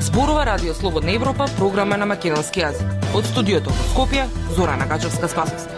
Зборува Радио Слободна Европа, програма на македонски јазик. Од студиото во Скопје, Зорана Гачевска-Спасовска.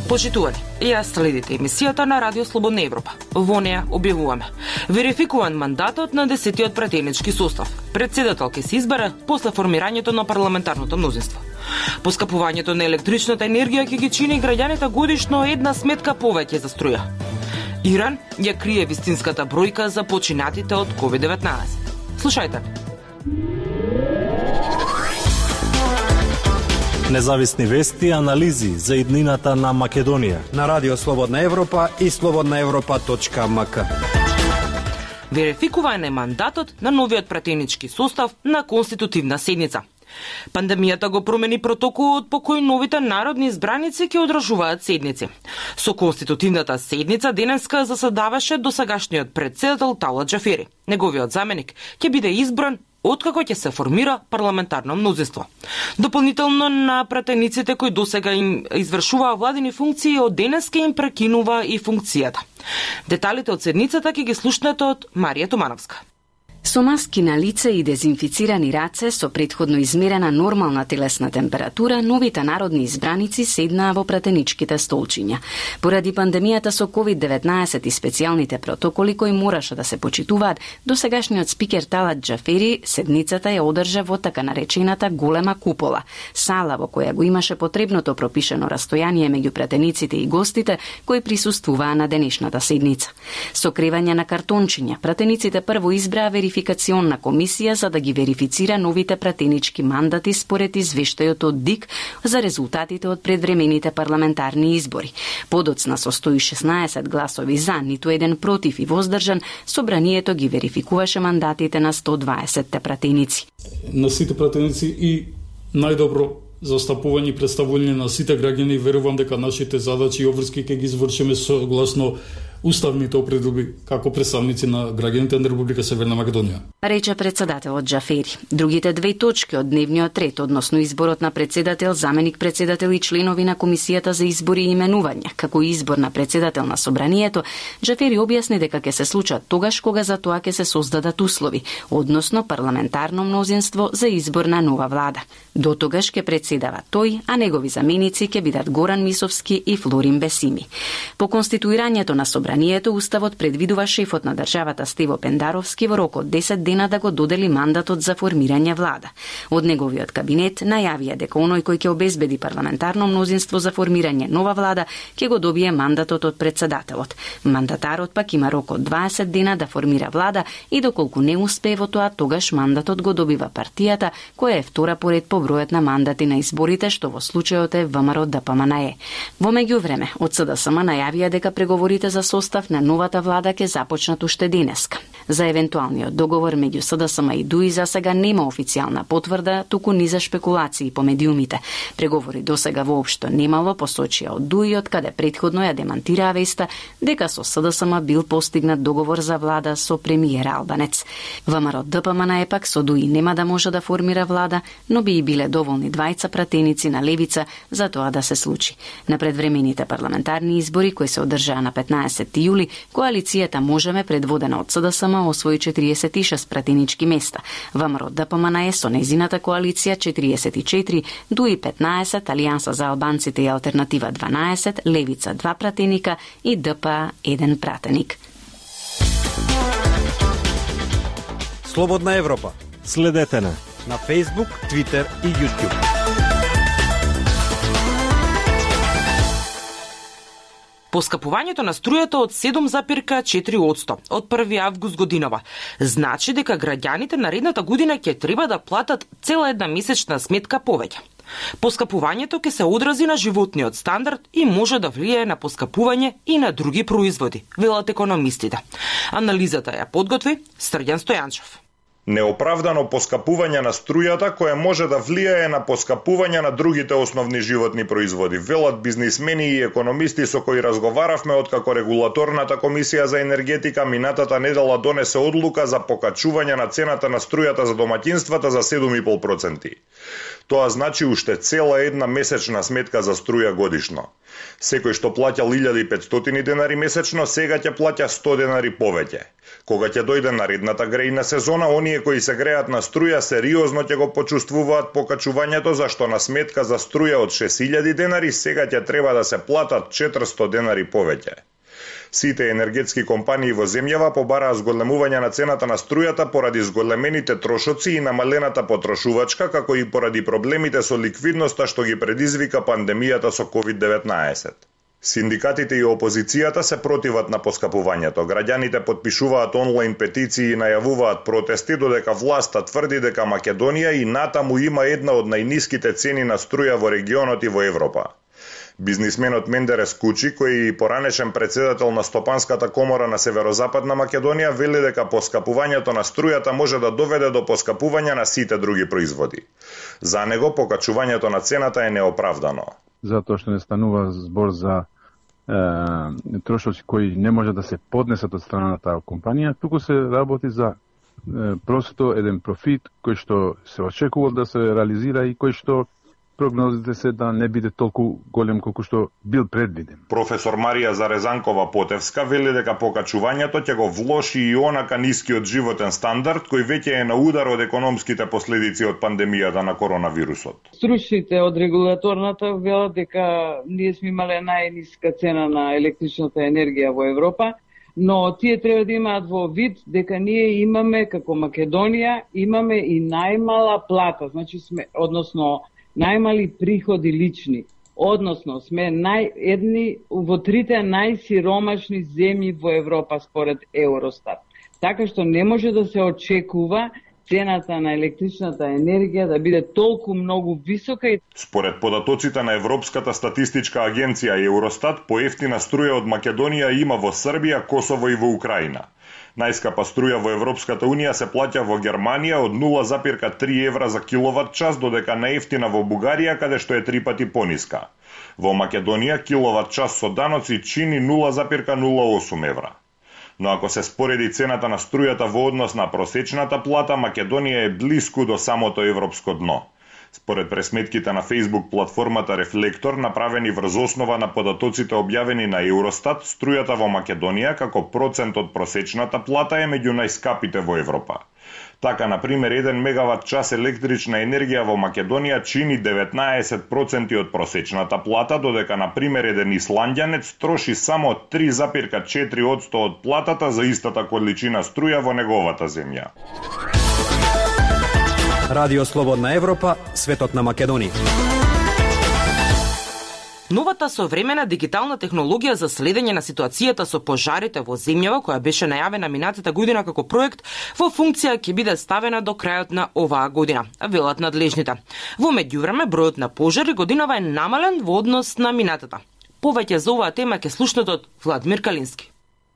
Почитувани, ја следите емисијата на Радио Слободна Европа. Во неја објавуваме: верификуван мандатот на 10-тиот пратенички состав. Председател ќе се избере после формирањето на парламентарното мнозинство. Поскапувањето на електричната енергија ќе ги чини граѓаните годишно една сметка повеќе за струја. Иран ја крие вистинската бројка за починатите од COVID-19. Слушајте. Независни вести и анализи за иднината на Македонија на Радио Слободна Европа и slobodnaevropa.mk. Верификуван е мандатот на новиот пратенички состав на конститутивна седница. Пандемијата го промени протоколот по кој новите народни избраници ќе одржуваат седници. Со конститутивната седница денеска заседаваше досегашниот председател Талат Џафери. Неговиот заменик ќе биде избран откако ќе се формира парламентарно мнозинство. Дополнително на пратениците кои досега им извршуваа владини функции, од денеска им прекинува и функцијата. Деталите од седницата ќе ги слушнете од Марија Тумановска. Со маски на лице и дезинфицирани раце, со претходно измерена нормална телесна температура, новите народни избраници седнаа во пратеничките столчиња. Поради пандемијата со COVID-19 и специјалните протоколи кои мораше да се почитуваат, досегашниот спикер Талат Џафери седницата ја одржа во така наречената голема купола, сала во која го имаше потребното пропишено растојание меѓу пратениците и гостите кои присуствуваа на денешната седница. Со кревање на картончиња, пратениците прво избраа верификационна комисија за да ги верифицира новите пратенички мандати според извештајот од ДИК за резултатите од предвремените парламентарни избори. Подоцна со 116 гласови за, ниту еден против и воздржан, собранието ги верификуваше мандатите на 120 пратеници. На сите пратеници и најдобро застапување и представување на сите граѓани, верувам дека нашите задачи и обврски ќе ги извршиме согласно уставните определби како представници на граѓаните на Република Северна Македонија. Рече председателот Џафери. Другите две точки од дневниот ред, односно изборот на председател, заменик председател и членови на Комисијата за избори и именувања, како и избор на председател на собранието, Џафери објасни дека ќе се случат тогаш кога за тоа ќе се создадат услови, односно парламентарно мнозинство за избор на нова влада. До тогаш ќе председава тој, а негови заменици ќе бидат Горан Мисовски и Флорин Бесими. По конституирањето на собранието, уставот предвидува шефот на државата Стево Пендаровски во рок од 10 дена да го додели мандатот за формирање влада. Од неговиот кабинет најавија дека оној кој ќе обезбеди парламентарно мнозинство за формирање нова влада ќе го добие мандатот од председателот. Мандатарот пак има рок од 20 дена да формира влада и доколку не успее во тоа, тогаш мандатот го добива партијата која е втора поред по бројот на мандати на изборите, што во случајот е ВМРО-ДПМНЕ. Во меѓувреме, од СДСМ најавија дека преговорите за состав на новата влада ќе започнат уште денеска. За евентуалниот договор меѓу СДСМ и ДУИ за сега нема официјална потврда, туку низа шпекулации по медиумите. Преговори досега воопшто немало, посочија од ДУИ, од каде претходно ја демантираа веста дека со СДСМ бил постигнат договор за влада со премиер Албанец. ВМРО-ДПМНЕ пак со ДУИ нема да може да формира влада, но би и биле доволни двајца пратеници на левица за тоа да се случи. На предвремените парламентарни избори кои се одржаа на 15 јули, коалицијата Можеме, предводена од СДСМ, освои 46 пратенички места. ВМРО-ДПМНЕ со незината коалиција 44, ДУИ 15, Алијанса за албанците и Алтернатива 12, Левица 2 пратеника и ДПА 1 пратеник. Слободна Европа. Следете на Facebook, Twitter и YouTube. Поскапувањето на струјата од 7,4% од 1 август годинава значи дека граѓаните наредната година ќе треба да платат цела една месечна сметка повеќе. Поскапувањето ќе се одрази на животниот стандард и може да влијае на поскапување и на други производи, велат економистите. Анализата ја подготви Срѓан Стојанчев. Неоправдано поскапување на струјата кое може да влијае на поскапување на другите основни животни производи, велат бизнисмени и економисти со кои разговаравме откако регулаторната комисија за енергетика минатата недела донесе одлука за покачување на цената на струјата за домаќинствата за 7,5%. Тоа значи уште цела една месечна сметка за струја годишно. Секој што плаќал 1500 денари месечно, сега ќе плаќа 100 денари повеќе. Кога ќе дојде наредната грејна сезона, оние кои се греат на струја сериозно ќе го почувствуваат покачувањето, зашто на сметка за струја од 6000 денари сега ќе треба да се платат 400 денари повеќе. Сите енергетски компании во земјава побараа зголемување на цената на струјата поради зголемените трошоци и намалената потрошувачка, како и поради проблемите со ликвидноста што ги предизвика пандемијата со COVID-19. Синдикатите и опозицијата се противат на поскапувањето. Граѓаните потпишуваат онлайн петиции и најавуваат протести, додека власта тврди дека Македонија и натаму има една од најниските цени на струја во регионот и во Европа. Бизнисменот Мендерес Кучи, кој е и поранешен председател на Стопанската комора на Северозападна Македонија, вели дека поскапувањето на струјата може да доведе до поскапување на сите други производи. За него покачувањето на цената е неоправдано. Затоа што не станува збор за трошоци кои не може да се поднесат од страна на таа компанија, туку се работи за просто еден профит кој што се очекува да се реализира и кој што прогнозите се да не биде толку голем колку што бил предвиден. Професор Марија Зарезанкова-Потевска вели дека покачувањето ќе го влоши и онака нискиот животен стандард кој веќе е на удар од економските последици од пандемијата на коронавирусот. Стручните од регулаторната велат дека ние сме имале најниска цена на електричната енергија во Европа, но тие треба да имаат во вид дека ние имаме како Македонија имаме и најмала плата, значи сме најмали приходи лични, односно сме едни во трите најсиромашни земји во Европа според Евростат. Така што не може да се очекува цената на електричната енергија да биде толку многу висока. Според податоците на Европската статистичка агенција Евростат, поевтина струја од Македонија има во Србија, Косово и во Украина. Најскапа струја во Европската Унија се плаќа во Германија од 0,3 евра за киловат час, додека најевтина во Бугарија, каде што е 3 пати пониска. Во Македонија киловат час со даноци чини 0,08 евра. Но ако се спореди цената на струјата во однос на просечната плата, Македонија е блиску до самото европско дно. Според пресметките на Facebook платформата Рефлектор, направени врз основа на податоците објавени на Евростат, струјата во Македонија како процент од просечната плата е меѓу најскапите во Европа. Така, например, 1 мегават час електрична енергија во Македонија чини 19% од просечната плата, додека, например, еден исландјанец троши само 3,4% од платата за истата количина струја во неговата земја. Радио Слободна Европа, светот на Македонија. Новата современа дигитална технологија за следење на ситуацијата со пожарите во земјава, која беше најавена минатата година како проект, во функција ќе биде ставена до крајот на оваа година, велат надлежните. Во меѓувреме, бројот на пожари годинава е намален во однос на минатата. Повеќе за оваа тема ќе слушнете од Владимир Калински.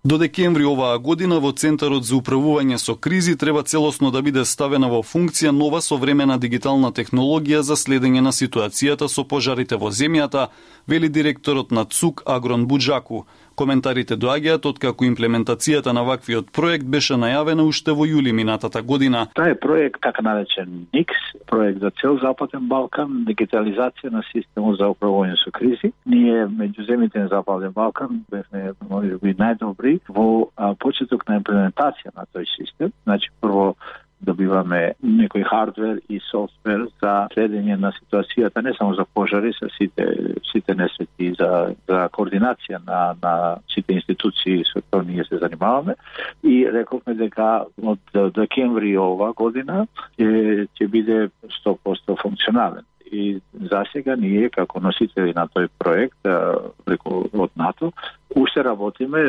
До декември оваа година во Центарот за управување со кризи треба целосно да биде ставена во функција нова современа дигитална технологија за следење на ситуацијата со пожарите во земјата, вели директорот на ЦУК Агрон Буџаку. Коментарите доаѓаат откако имплементацијата на ваквиот проект беше најавена уште во јули минатата година. Тај е проект, така наречен НИКС, проект за цел Западен Балкан, дигитализација на системот за управување со кризи. Ние меѓу земјите на Западен Балкан бевме можеби најдобри во почеток на имплементација на тој систем. Значи, прво добиваме некој хардвер и софтвер за следење на ситуацијата, не само за пожари, со сите несрети, за координација на сите институции со кои ние се занимаваме. И рековме дека од декември оваа година ќе биде 100% функционален. И засега ние како носители на тој проект преку од НАТО Уште работиме.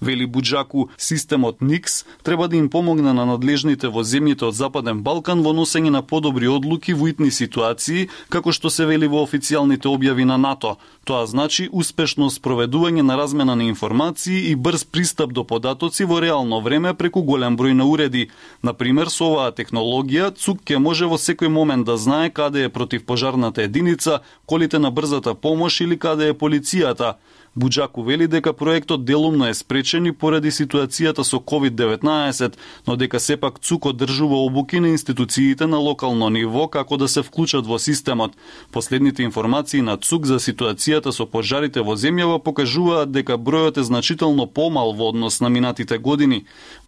Вели Буџаку, системот НИКС треба да им помогне на надлежните во земјите од Западен Балкан во носење на подобри одлуки во итни ситуации, како што се вели во официјалните објави на НАТО. Тоа значи успешно спроведување на размена на информации и брз пристап до податоци во реално време преку голем број на уреди. Например, со оваа технологија, ЦУК ќе може во секој момент да знае каде е противпожарната единица, колите на брзата помош или каде е полицијата. Буџаку вели дека проектот делумно е спречен и поради ситуацијата со COVID-19, но дека сепак ЦУК одржува обуки на институциите на локално ниво како да се вклучат во системот. Последните информации на ЦУК за ситуацијата со пожарите во земјава покажуваат дека бројот е значително помал во однос на минатите години.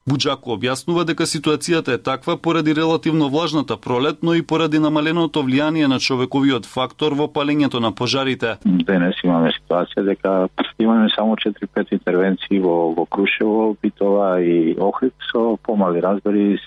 Буџаку објаснува дека ситуацијата е таква поради релативно влажната пролет, но и поради намаленото влијание на човековиот фактор во палењето на пожарите. Денес имаме ситуација дека имаме само 4-5 интервенции во Крушево, Битова и Охрид со помали разбори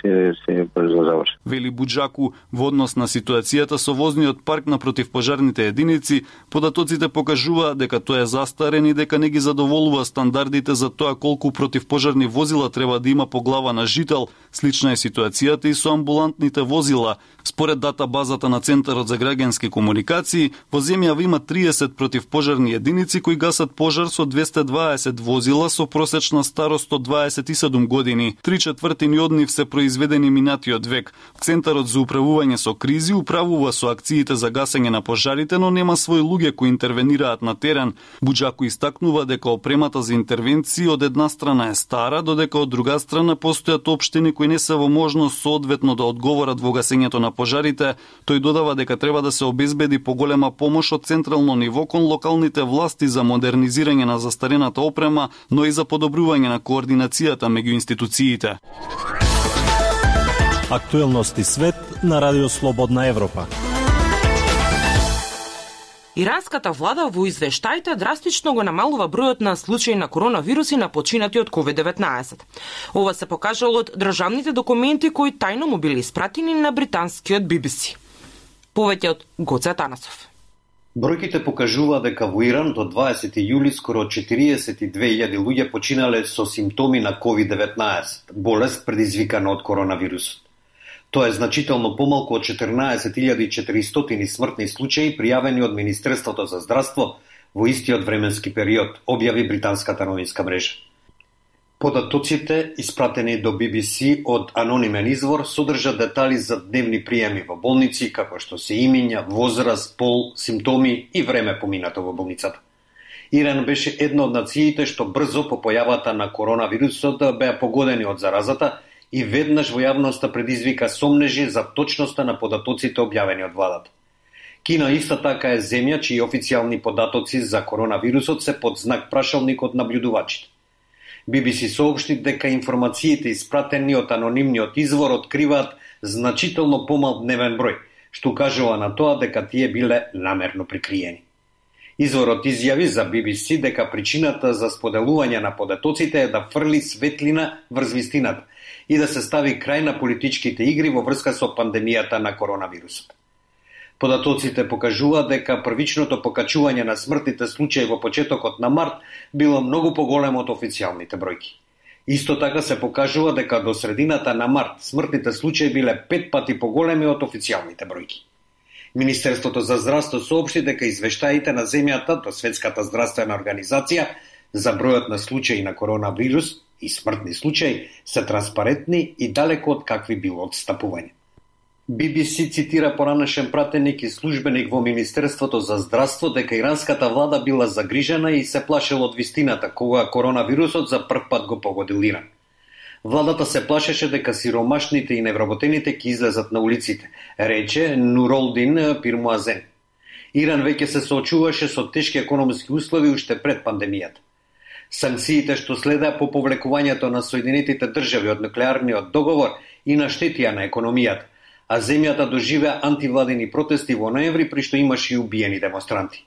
се брзо заврши. Вели Буџаку, во однос на ситуацијата со возниот парк на противпожарните единици, податоците покажуваат дека тој е застарен и дека не ги задоволува стандардите за тоа колку противпожарни возила треба да има по глава на жител. Слична е ситуацијата и со амбулантните возила. Според датабазата на Центарот за граѓански комуникации, во земјава има 30 противпожарни единици кои гасат пожар со 220 возила со просечна старост од 27 години. 3/4 од нив се произведени минатиот век. Центарот за управување со кризи управува со акциите за гасење на пожарите, но нема свои луѓе кои интервенираат на терен. Буџаку истакнува дека опремата за интервенции од една страна е стара, додека од друга страна постојат општини кои не се во можност соодветно да одговорат во гасењето на пожарите. Тој додава дека треба да се обезбеди поголема помош од централно ниво кон локалните власти за модернизирање на застарената опрема, но и за подобрување на координацијата меѓу институциите. Актуелности свет на Радио Слободна Европа. Иранската влада во извештаите драстично го намалува бројот на случаи на коронавируси на починати од COVID-19. Ова се покажало од државните документи кои тајно му били испратени на британскиот BBC. Повеќе од Гоце Атанасов. Бројките покажува дека во Иран до 20 јули скоро 42.000 луѓе починале со симптоми на COVID-19, болест предизвикана од коронавирусот. Тоа е значително помалку од 14.400 смртни случаи пријавени од Министерството за здравство во истиот временски период, објави британската новинска мрежа. Податоците, испратени до BBC од анонимен извор, содржат детали за дневни приеми во болници, како што се имиња, возраст, пол, симптоми и време поминато во болницата. Иран беше една од нациите што брзо по појавата на коронавирусот беа погодени од заразата и веднаш во јавноста предизвика сомнежи за точноста на податоците објавени од владата. Кина иста така е земја чии официјални податоци за коронавирусот се под знак прашалник од набљудувачите. BBC соопшти дека информациите испратени од анонимниот извор откриваат значително помал дневен број, што укажува на тоа дека тие биле намерно прикриени. Изворот изјави за BBC дека причината за споделување на податоците е да фрли светлина врз вистината и да се стави крај на политичките игри во врска со пандемијата на коронавирусот. Податоците покажуваат дека првичното покачување на смртните случаи во почетокот на март било многу поголемо од официјалните бројки. Исто така се покажува дека до средината на март смртните случаи биле 5 пати поголеми од официјалните бројки. Министерството за здравство соопшти дека извештаите на земјата до Светската здравствена организација за бројот на случаи на коронавирус и смртни случаи се транспарентни и далеко од какви било отстапување. BBC цитира поранешен пратеник и службеник во Министерството за здравство дека иранската влада била загрижена и се плашела од вистината кога коронавирусот за прв пат го погодил Иран. Владата се плашеше дека сиромашните и невработените ќе излезат на улиците, рече Нуролдин Пирмуазен. Иран веќе се соочуваше со тешки економски услови уште пред пандемијата. Санкциите што следеа по повлекувањето на Соединетите држави од нуклеарниот договор и наштетија на економијата, а земјата доживеа антивладени протести во ноември при што имаше и убиени демонстранти.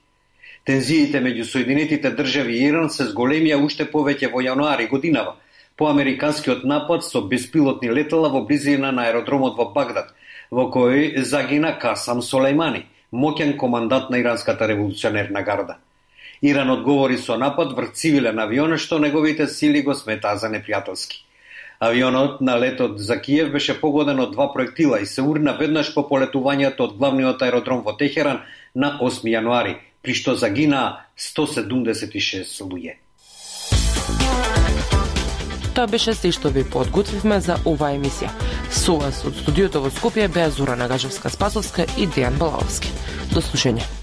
Тензиите меѓу Соединетите држави и Иран се зголемија уште повеќе во јануари годинава, по американскиот напад со беспилотни летала во близина на аеродромот во Багдад, во кој загина Касам Солејмани, моќен командант на иранската револуционерна гарда. Иран одговори со напад врз цивилен авион што неговите сили го сметаа за непријателски. Авионот на летот за Киев беше погоден од 2 проектила и се урна веднаш по полетувањето од главниот аеродром во Техеран на 8 јануари, при што загинаа 176 луѓе. Тоа беше се што ви подготвивме за оваа емисија. Со вас од студиото во Скопје беа Зора Нагажевска-Спасовска и Дејан Балаовски. До слушање.